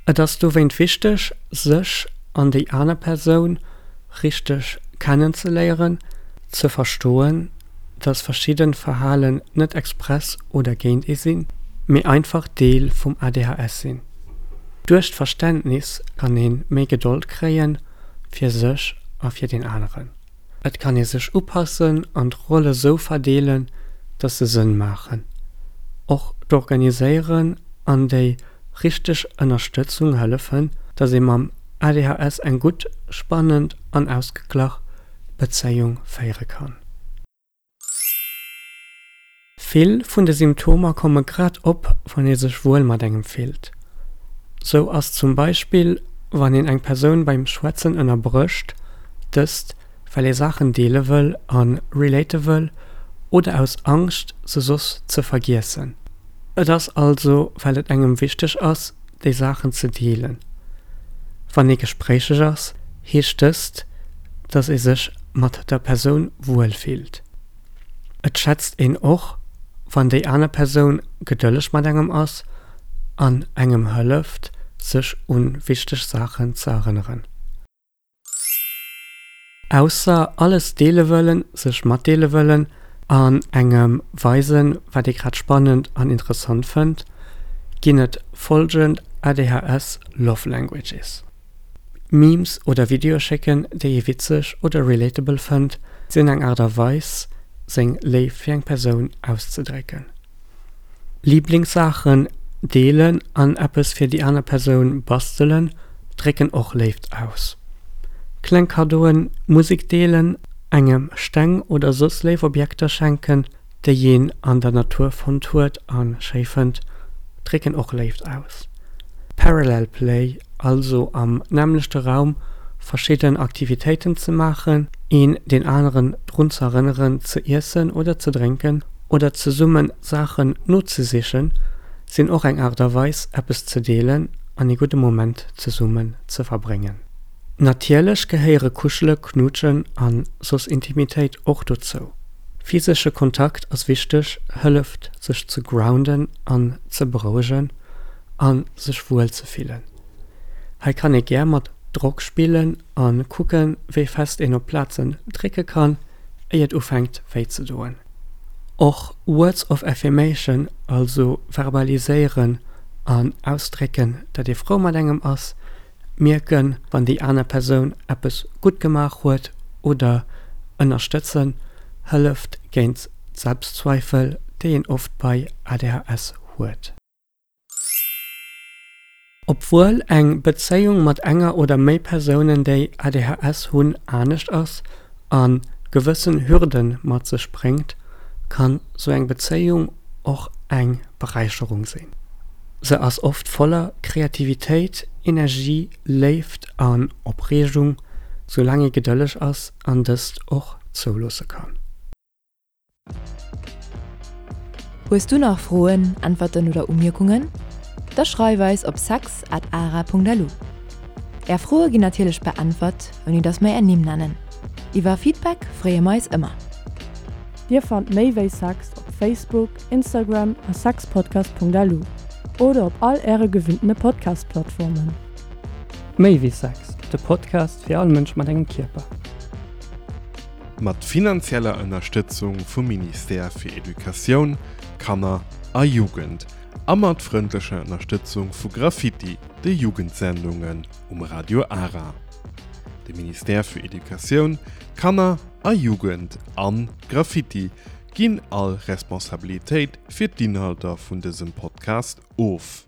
Et ass dowéint wichteg, sech an déi aner Persoun richteg kennenzeléieren, ze verstoen, datt verschidden Verhalen net express oder géint ee sinn, mee einfach Deel vum A D H S sinn. Duerch d'Verständnis kann ee méi Gedold kréie fir sech a fir deen aneren. Et kann ee sech upassen an d'Rolle sou verdeelen, dass se Sënn maachen. Och d'Organiséieren an déi richteg Ënnerstëtzung hëllefen, dass ee mam A D H S eng gutt, spannend an ausgeglach Bezéiung féiere kann. Vill vun de Symptomer komme grad op, wann ee sech wuel mat engem fillt. Sou ass zum Beispill, wann een eng Persoun beim Schwätzen ënnerbrécht, dëst well ee Saachen deele wëll a relate wëll oder aus Angscht, se soss ze vergiessen. Et ass also, well et engem wichteg ass, déi Saachen ze deelen. Wann ee gespréicheg ass, heescht dëst, dass ee sech mat der Persoun wuel fillt. Et schätzt een och, wann déi aner Persoun gedëlleg mat engem ass an engem hëlleft, sech un wichteg Saachen ze erënneren. Ausser alles deele wëllen, sech matdeele wëllen an engem weisen, wat ee grad spannend an interessant fënnt, ginn et follgend A D H S Love Languages. Memes oder Videoe schécken, déi ee witzeg oder relatable fënnt, sinn eng Aart a Weis, seng Léift fir eng Persoun auszedrécken. Liblingssaachen deelen an eppes fir déi aner Persoun bastelen, drécken och Léift aus. Kleng Kaddoen, Musek deelen, engem Steng oder soss léif Objekter schenken, déi een an der Natur fonnt huet a schéi fënnt, drécken och Léift aus. Parallel Play, also am nämmlechte Raum verschidden Aktivitéiten ze maachen, een deen aneren drun ze erënneren ze iessen oder ze drénken oder zesummen Saachen nozesichen, sinn och eng Aart a Weis, eppes ze deelen an ee gudde Moment zesummen ze verbréngen. Natierlech gehéiere Kuschele, Knuutschen an soss Intimitéit och dozou. Physesche Kontakt ass wichteg, hëlleft sech ze grounden an ze berouegen an sech wuel ze fillen. Hei kann ee gär mat Drock spillen a kucken, wéi fest een op Plazen drécke kann, éier et ufänkt wéi ze doen. Och Words of Affirmation, also verbaliséieren an ausdrécken, dat ee frou mat engem ass, mierken, wann déi aner Persoun eppes gutt gemaach huet oder ënnerstëtzen, hëlleft géint d'Selbstzweifel, déi een oft bei A D H S huet. Obwuel eng Bezéiung mat enger oder méi Persounen, déi A D H S hunn, anescht ass a gewëssen Hürden mat sech bréngt, kann sou eng Bezéiung och eng Beräicherung sinn. Se ass oft voller Kreativitéit, Energie, Léift an Opreegung, soulaang ee gedëlleg ass an dëst och zouloosse kann. Hues du nach Froen, Äntwerten oder Umierkungen? Da schreif eis op sex at ara punkt lu. Är Froe ginn natierlech beäntwert, ouni datt mer är Nimm nennen. Iwwer Feedback freeë mer eis ëmmer. Dir fannt méi wéi Sex op Facebook, Instagram a sexpodcast punkt lu oder op all äre gewinntene Podcast-Plattformen. Méi wéi Sex, de Podcast fir all Mënsch mat engem Kierper. Mat finanzieller Ënnerstëtzung vum Ministère fir Educatioun, Kanner a Jugend a mat frëndlecher Ënnerstëtzung vu Graffiti, de Jugendsendungen um Radio Ara. De Ministère fir Educatioun, Kanner a Jugend an Graffiti ginn all Responsabilitéit fir d'Inhalter vun dësem Podcast of.